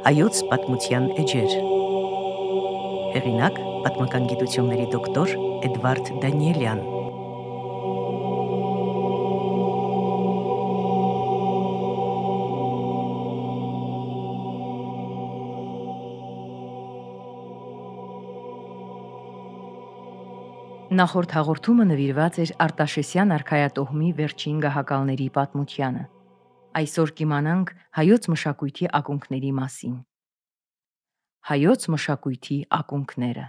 Հայոց պատմության էջեր։ Հեղինակ պատմական գիտությունների դոկտոր Էդվարդ Դանիելյան։ Նախորդ հաղորդումը նվիրված էր Արտաշեսյան արքայատոհմի վերջին գահակալների պատմությանը։ Այսօր կիմանանք հայոց մշակույթի ակունքների մասին։ Հայոց մշակույթի ակունքները։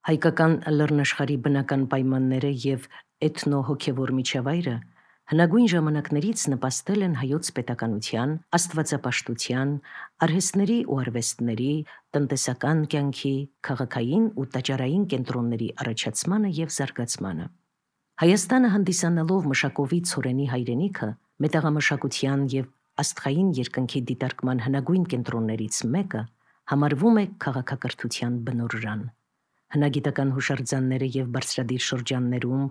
Հայկական լեռնաշխարհի բնական պայմանները եւ էթնո-հոգեվոր միջավայրը հնագույն ժամանակներից նպաստել են հայոց պետականության, աստվածապաշտության, արհեստների ու արվեստների, տնտեսական կյանքի, քաղաքային ու տաճարային կենտրոնների առաջացմանը եւ զարգացմանը։ Հայաստանը հանդիսանալով մշակովի ցորենի հայրենիքը, մետաղամշակության եւ աստղային երկնքի դիտարկման հնագույն կենտրոններից մեկը, համարվում է քաղաքակրթության բնօրրան։ Հնագիտական հուշարձանները եւ բարձրադիր շրջաններում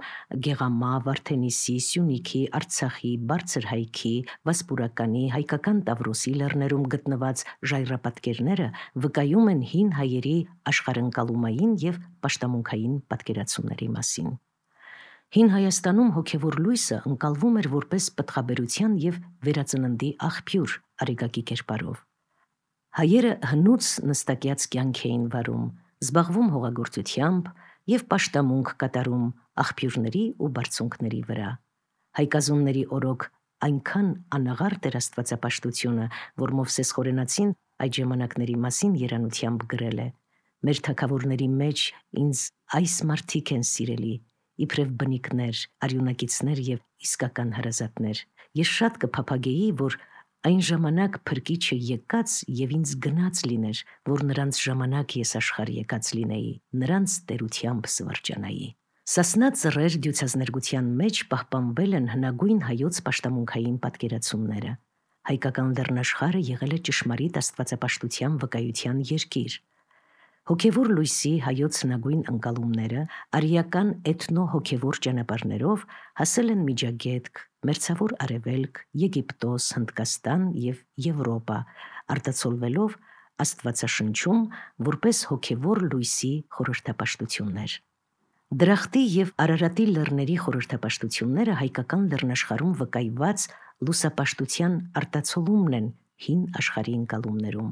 Գեղամա, Վարդենիսի, Սյունիքի, Արցախի, Բարձրհայքի, Վասպուրականի, Հայկական Տավրոսի լեռներում գտնված ժայռապատկերները վկայում են հին հայերի աշխարհընկալումային եւ պաշտամունքային պատկերացումների մասին։ Հին Հայաստանում հոգևոր լույսը ընկալվում էր որպես պտղաբերության եւ վերածննդի աղբյուր արեգակի կերպարով։ Հայերը հնուց նստակյաց կյանք էին վարում, զբաղվում հողագործությամբ եւ պաշտամունք կատարում աղբյուրների ու բարձունքների վրա։ Հայկազունների օրոք այնքան անաղարտ էր աստվածապաշտությունը, որ Մովսես Խորենացին այդ ժամանակների մասին երանությամբ գրել է. «Մեր թագավորների մեջ ինձ այս մարդիկ են սիրելի, իբրև բնիկներ, արյունակիցներ եւ իսկական հրազատներ։ Ես շատ կփափագեի, որ այն ժամանակ փրկիչը եկած եւ ինձ գնաց լիներ, որ նրանց ժամանակ ես աշխարհ եկած լինեի, նրանց տերությամբ սվրջանայի»։ Սասնա ծռեր դյուցազներգության մեջ պահպանվել են հնագույն հայոց պաշտամունքային պատկերացումները։ Հայկական լեռնաշխարհը եղել է ճշմարիտ աստվածապաշտության վկայության երկիր։ Հոգևոր լույսի հայոց հնագույն ընկալումները արիական էթնո-հոգևոր ճանապարհներով հասել են Միջագետք, Մերձավոր Արևելք, Եգիպտոս, Հնդկաստան եւ Եվրոպա, արտացոլվելով Աստվածաշնչում որպես հոգևոր լույսի խորհրդապաշտություններ։ Դրախտի եւ Արարատի լեռների խորհրդապաշտությունները հայկական լեռնաշխարհում վկայված լուսապաշտության արտացոլումն են հին աշխարհի ընկալումներում։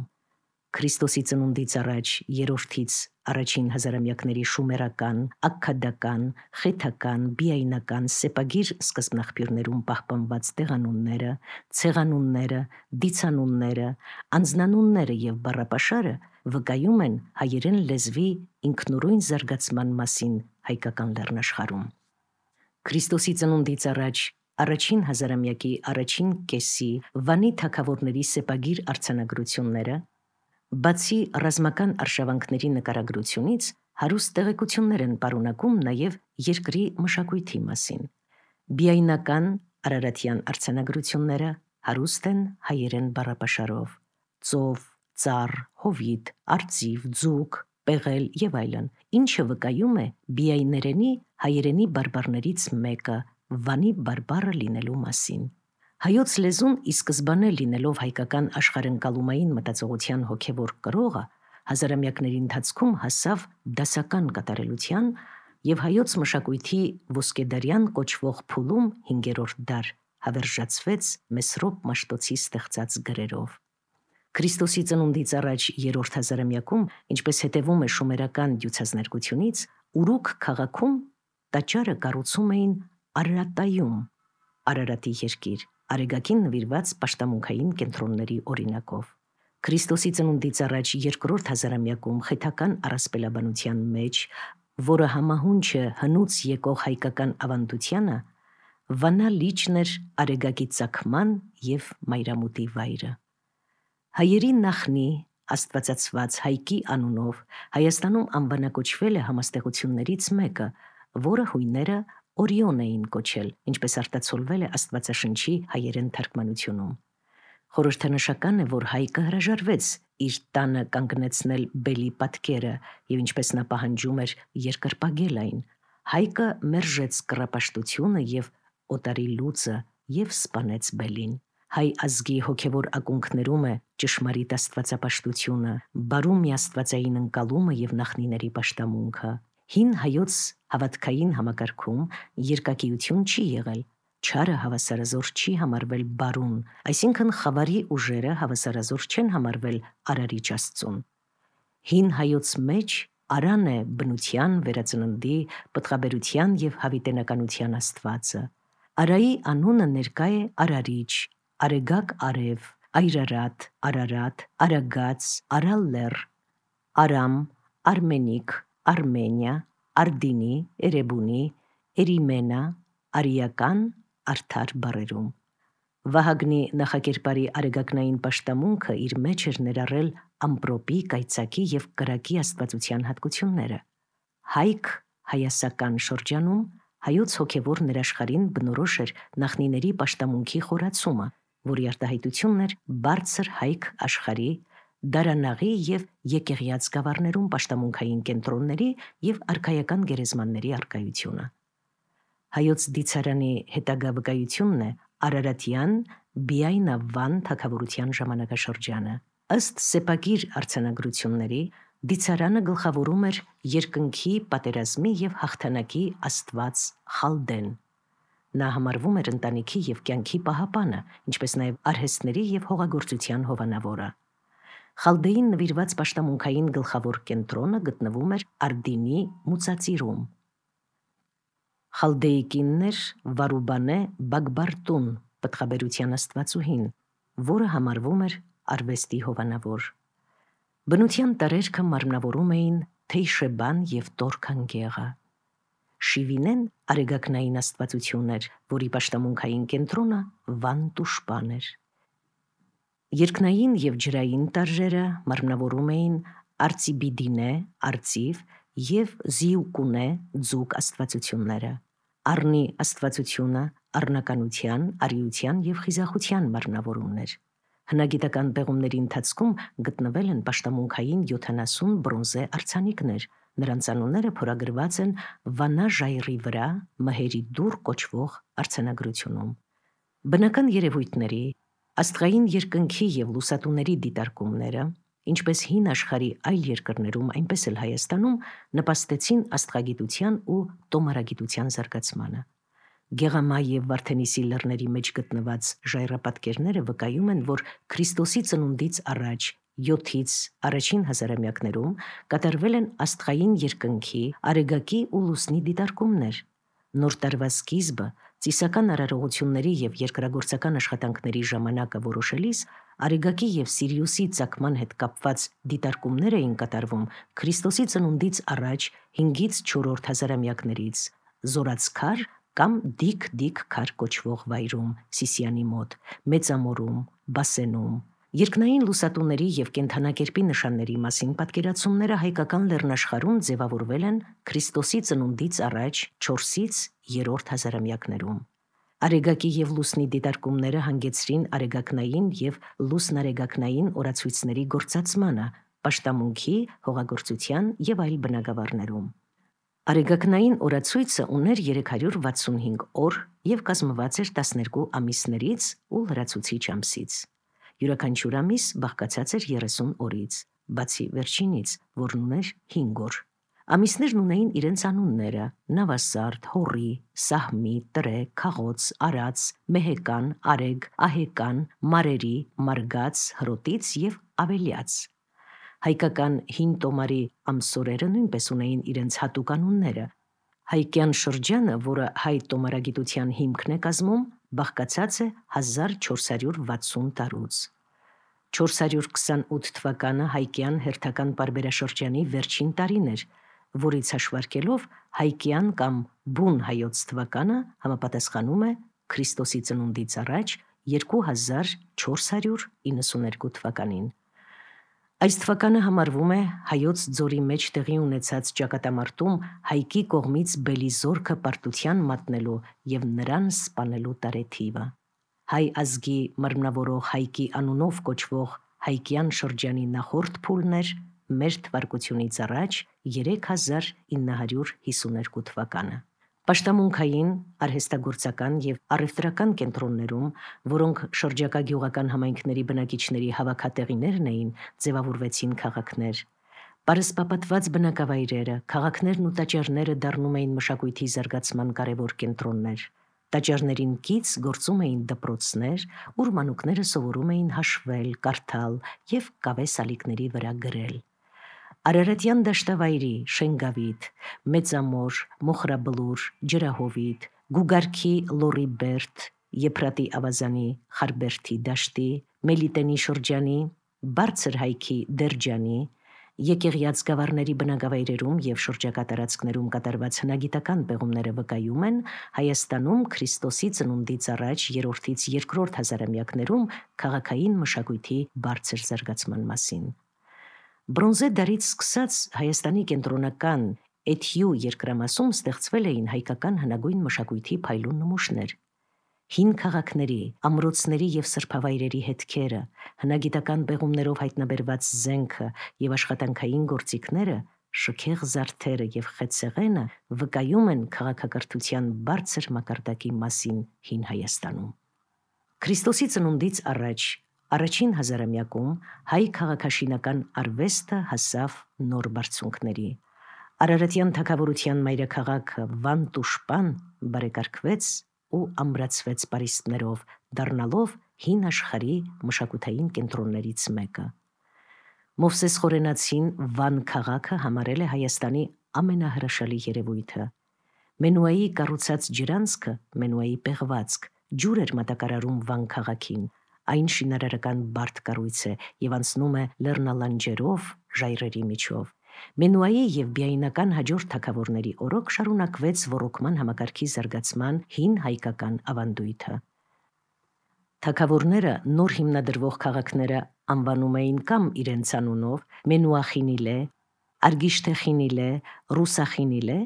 Քրիստոսի ծնունդից առաջ երրորդից առաջին հազարամյակների շումերական, աքքադական, խեթական, բիայնական, սեպագիր սկզբնաղբյուրներում պահպանված տեղանունները, ցեղանունները, դիցանունները, անձնանունները եւ բառապաշարը վկայում են հայերեն լեզվի ինքնուրույն զարգացման մասին հայկական լեռնաշխարհում։ Քրիստոսի ծնունդից առաջ առաջին հազարամյակի առաջին կեսի Վանի թագավորների սեպագիր արձանագրությունները, բացի ռազմական արշավանքների նկարագրությունից, հարուստ տեղեկություններ են պարունակում նաև երկրի մշակույթի մասին։ Բիայնական արարատյան արձանագրությունները հարուստ են հայերեն բառապաշարով՝ ծով, ծառ, հովիտ, արծիվ, ձուկ, պեղել եւ այլն, ինչը վկայում է բիայներենի հայերենի բարբառներից մեկը Վանի բարբառը լինելու մասին։ Հայոց լեզուն ի սկզբանե լինելով հայկական աշխարհընկալումային մտածողության հոգևոր կրողը, հազարամյակների ընթացքում հասավ դասական կատարելության եւ հայոց մշակույթի ոսկեդարյան կոչվող փուլում 5-րդ դար հավերժացվեց Մեսրոպ Մաշտոցի ստեղծած գրերով։ Քրիստոսի ծնունդից առաջ երրորդ հազարամյակում, ինչպես հետևում է շումերական դյուցազներգությունից, Ուրուք քաղաքում տաճարը կառուցում էին Արարատայում, Արարատի երկիր, արեգակին նվիրված պաշտամունքային կենտրոնների օրինակով։ Քրիստոսի ծնունդից առաջ երկրորդ հազարամյակում խեթական առասպելաբանության մեջ, որը համահունչ է հնուց եկող հայկական ավանդությանը, Վանա լիճն էր արեգակի ծագման եւ մայրամուտի վայրը։ Հայերի նախնի աստվածացված Հայկի անունով Հայաստանում անվանակոչվել է համաստեղություններից մեկը, որը հույները Օրիոն էին կոչել, ինչպես արտացոլվել է Աստվածաշնչի հայերեն թարգմանությունում։ Խորհրդանշական է, որ Հայկը հրաժարվեց իր տանը կանգնեցնել բելի պատկերը եւ ինչպես նա պահանջում էր երկրպագել այն, Հայկը մերժեց կռապաշտությունը եւ օտարի լուծը եւ սպանեց բելին։ Հայ ազգի հոգևոր ակունքներում է ճշմարիտ աստվածապաշտությունը, բարում միաստվածային ընկալումը եւ նախնիների պաշտամունքը։ Հին հայոց հավատքային համակարգում երկակիություն չի եղել, չարը հավասարազոր չի համարվել բարուն, այսինքն խավարի ուժերը հավասարազոր չեն համարվել արարիչ Աստծուն։ Հին հայոց մեջ արան է բնության, վերածննդի, պտղաբերության եւ հավիտենականության Աստվածը։ Արայի անունը ներկա է արարիչ, արեգակ արև, այրարատ, արարատ, արագած, արալլեր, արամ, արմենիկ, Արմենիա, Արդինի, Էրեբունի, Էրիմենա, արիական, արդար բառերում։ Վահագնի նախակերպարի արեգակնային պաշտամունքը իր մեջ էր ներառել ամպրոպի, կայծակի եւ կրակի աստվածության հատկությունները։ Հայք հայասական շրջանում հայոց հոգևոր ներաշխարհին բնորոշ էր նախնիների պաշտամունքի խորացումը, որի արտահայտությունն էր բարձր հայք աշխարհի, դարանաղի եւ եկեղյաց գավառներում պաշտամունքային կենտրոնների եւ արքայական գերեզմանների առկայությունը։ Հայոց դիցարանի հետագա վկայությունն է Արարատյան Բիայնավան թագավորության ժամանակաշրջանը։ Ըստ սեպագիր արձանագրությունների, դիցարանը գլխավորում էր երկնքի, պատերազմի եւ հաղթանակի աստված Խալդեն։ Նա համարվում էր ընտանիքի եւ կյանքի պահապանը, ինչպես նաեւ արհեստների եւ հողագործության հովանավորը։ Խալդեին նվիրված պաշտամունքային գլխավոր կենտրոնը գտնվում էր Արդինի մուծածիրում։ Խալդեի կինն էր Վարուբանե Բագբարտուն, պտղաբերության աստվածուհին, որը համարվում էր արվեստի հովանավոր։ Բնության տարերքը մարմնավորում էին Թեյշեբան եւ Տորքանգեղը։ Շիվինեն արեգակնային աստվածություն էր, որի պաշտամունքային կենտրոնը Վան Տուշպան էր։ Երկնային եւ ջրային տարրերը մարմնավորում էին Արծիբիդինե, արծիվ եւ Զիուկունե, ձուկ աստվածությունները։ Առնի աստվածությունը առնականության, արիության եւ խիզախության մարմնավորումներ։ Հնագիտական պեղումների ընթացքում գտնվել են պաշտամունքային 70 բրոնզե արձանիկներ, նրանց անունները փորագրված են Վանա ժայռի վրա մհերի դուռ կոչվող արձանագրությունում։ Բնական երևույթների, աստղային երկնքի եւ լուսատուների դիտարկումները, ինչպես հին աշխարհի այլ երկրներում, այնպես էլ Հայաստանում, նպաստեցին աստղագիտության ու տոմարագիտության զարգացմանը։ Գեղամա եւ Վարդենիսի լեռների մեջ գտնված ժայռապատկերները վկայում են, որ Քրիստոսի ծնունդից առաջ 7-ից առաջին հազարամյակներում կատարվել են աստղային երկնքի, արեգակի ու լուսնի դիտարկումներ։ Նոր տարվա սկիզբը, ծիսական արարողությունների եւ երկրագործական աշխատանքների ժամանակը որոշելիս Արեգակի եւ Սիրիուսի ծագման հետ կապված դիտարկումներ էին կատարվում Քրիստոսի ծնունդից առաջ 5-ից 4-րդ հազարամյակներից Զորացքար կամ Դիկ քար կոչվող վայրում, Սիսիանի մոտ, Մեծամորում, Բասենում։ Երկնային լուսատուների եւ կենդանակերպի նշանների մասին պատկերացումները հայկական լեռնաշխարհում ձևավորվել են Քրիստոսի ծնունդից առաջ 4-ից 3-րդ հազարամյակներում։ Արեգակի եւ լուսնի դիտարկումները հանգեցրին արեգակնային եւ լուսնարեգակնային օրացույցների գործածմանը, պաշտամունքի, հողագործության եւ այլ բնագավառներում։ Արեգակնային օրացույցը ուներ 365 օր եւ կազմված էր 12 ամիսներից ու լրացուցիչ ամսից։ Յուրաքանչյուր ամիս բաղկացած էր 30 օրից, բացի վերջինից, որն ուներ 5 օր։ Ամիսներն ունեին իրենց անունները՝ Նավասարդ, Հորի, Սահմի, Տրե, Քաղոց, Արաց, Մեհեկան, Արեգ, Ահեկան, Մարերի, Մարգաց, Հրոտից եւ Ավելյաց։ Հայկական հին տոմարի ամսորերը նույնպես ունեին իրենց հատուկ անունները։ Հայկյան շրջանը, որը հայ տոմարագիտության հիմքն է կազմում, բաղկացած է 1460 տարուց։ 428 թվականը հայկյան հերթական պարբերաշրջանի վերջին տարին էր, որից հաշվարկելով հայկյան կամ բուն հայոց թվականը համապատասխանում է Քրիստոսի ծնունդից առաջ 2492 թվականին։ Այս թվականը համարվում է հայոց ձորի մեջ տեղի ունեցած ճակատամարտում Հայկի կողմից Բելիզորքը պարտության մատնելու եւ նրան սպանելու տարեթիվը։ Հայ ազգի մարմնավորող Հայկի անունով կոչվող հայկյան շրջանի նախորդ փուլն էր մեր թվարկությունից առաջ 3952 թվականը։ Պաշտամունքային, արհեստագործական եւ առևտրական կենտրոններում, որոնք շրջակա գյուղական համայնքների բնակիչների հավաքատեղիներն էին, ձևավորվեցին քաղաքներ։ Պարսպապատված բնակավայրերը, քաղաքներն ու տաճարները դառնում էին մշակույթի զարգացման կարևոր կենտրոններ։ Տաճարներին կից գործում էին դպրոցներ, ուր մանուկները սովորում էին հաշվել, կարդալ եւ կավե սալիկների վրա գրել։ Արարատյան դաշտավայրի Շենգավիթ, Մեծամոր, Մոխրաբլուր, Ջրահովիտ, Գուգարքի Լորիբերտ, Եփրատի ավազանի Խարբերթի դաշտի, Մելիտենի շրջանի, Բարձր հայքի Դերջանի, Եկեղյաց գավառների բնակավայրերում եւ շրջակա տարածքներում կատարված հնագիտական պեղումները վկայում են Հայաստանում Քրիստոսի ծնունդից առաջ 3-ից 2-րդ հազարամյակներում քաղաքային մշակույթի բարձր զարգացման մասին։ Բրոնզե դարից սկսած Հայաստանի կենտրոնական Էթյու երկրամասում ստեղծվել էին հայկական հնագույն մշակույթի փայլուն նմուշներ։ Հին քաղաքների, ամրոցների եւ սրբավայրերի հետքերը, հնագիտական պեղումներով հայտնաբերված զենքը եւ աշխատանքային գործիքները, շքեղ զարդերը եւ խեցեղենը վկայում են քաղաքակրթության բարձր մակարդակի մասին հին Հայաստանում։ Քրիստոսի ծնունդից առաջ առաջին հազարամյակում հայ քաղաքաշինական արվեստը հասավ նոր բարձունքների։ Արարատյան թագավորության մայրաքաղաքը Վանտուշպան բարեկարգվեց ու ամրացվեց պարիսպներով, դառնալով հին աշխարհի մշակութային կենտրոններից մեկը։ Մովսես Խորենացին Վան քաղաքը համարել է Հայաստանի ամենահրաշալի երևույթը։ Մենուայի կառուցած ջրանցքը, Մենուայի պեղվածք, ջուր էր մատակարարում Վան քաղաքին։ Այն շինարարական բարդ կառույց է եւ անցնում է լեռնալանջերով, ժայռերի միջով։ Մենուայի եւ բիայնական հաջորդ թագավորների օրոք շարունակվեց ոռոգման համակարգի զարգացման հին հայկական ավանդույթը։ Թագավորները նոր հիմնադրվող քաղաքները անվանում էին կամ իրենց անունով Մենուախինիլե, Արգիշտեխինիլե, Ռուսախինիլե,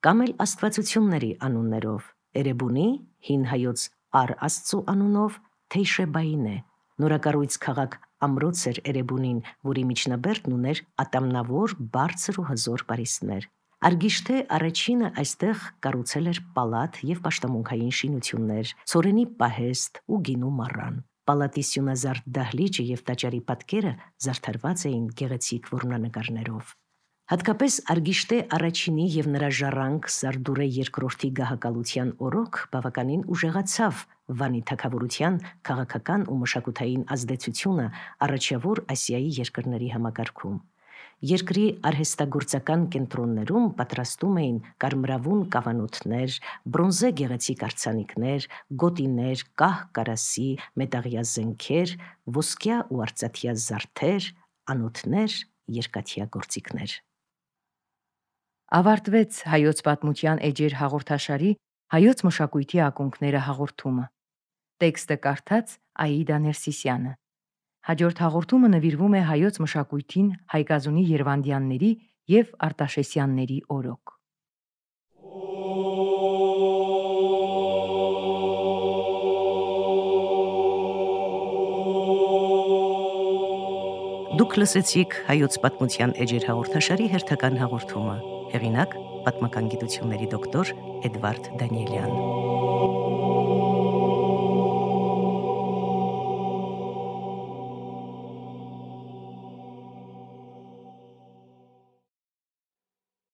կամ էլ աստվածությունների անուններով՝ Էրեբունի, հին հայոց Ար Աստծու անունով Թեյշեբայինե։ Նորակառույց քաղաք ամրոց էր Էրեբունին, որի միջնաբերդն ուներ ատամնավոր, բարձր ու հզոր պարիսպներ։ Արգիշտե առաջինը այստեղ կառուցել էր պալատ եւ պաշտամունքային շինություններ, ցորենի պահեստ ու գինու մառան։ Պալատի սյունազարդ դահլիճը եւ տաճարի պատկերը զարդարված էին գեղեցիկ որմնանկարներով։ Հատկապես Արգիշտե առաջինի եւ նրա ժառանգ Սարդուրե երկրորդի գահակալության օրոք բավականին ուժեղացավ Վանի թագավորության քաղաքական ու մշակութային ազդեցությունը առաջավոր Ասիայի երկրների համակարգում։ Երկրի արհեստագործական կենտրոններում պատրաստում էին կարմրավուն կավանոթներ, բրոնզե գեղեցիկ արձանիկներ, գոտիներ, կահ կարասի, մետաղյա զենքեր, ոսկյա ու արծաթյա զարդեր, անոթներ, երկաթյա գործիքներ։ Ավարտվեց Հայոց պատմության էջեր հաղորդաշարի Հայոց մշակույթի ակունքները հաղորդումը։ Տեքստը կարդաց Աիդա Ներսիսյանը։ Հաջորդ հաղորդումը նվիրվում է հայոց մշակույթին Հայկազունի Երվանդյանների եւ Արտաշեսյանների օրոք։ Դուք լսեցիք Հայոց պատմության էջեր հաղորդաշարի հերթական հաղորդումը։ Հեղինակ՝ պատմական գիտությունների դոկտոր Էդվարդ Դանիելյան։